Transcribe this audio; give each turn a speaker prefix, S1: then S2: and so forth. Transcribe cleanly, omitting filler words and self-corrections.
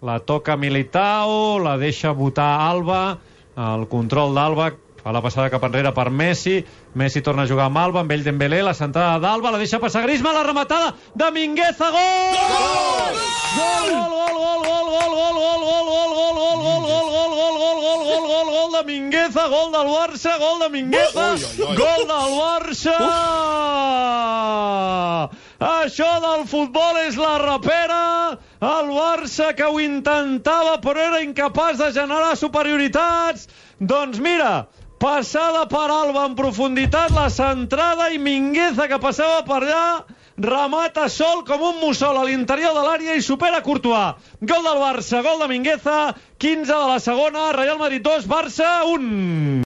S1: la toca Militao, la deixa botar Alba, el control d'Alba, fa la passada cap enrere per Messi, Messi torna a jugar amb Alba, amb ell Dembélé, la centrada d'Alba, la deixa passar Griezmann, la rematada de Mingueza, gol! Gol! Gol, gol, gol, gol, gol, gol, gol, gol, gol de Mingueza, gol del Barça, gol de Mingueza, gol del Barça! Això del futbol és la rapera, el Barça que ho intentava però era incapaç de generar superioritats. Doncs mira, passada per Alba en profunditat, la centrada i Mingueza que passava per allà, remata sol com un mussol a l'interior de l'àrea i supera Courtois. Gol del Barça, gol de Mingueza, 15 de la segona, Real Madrid 2, Barça 1.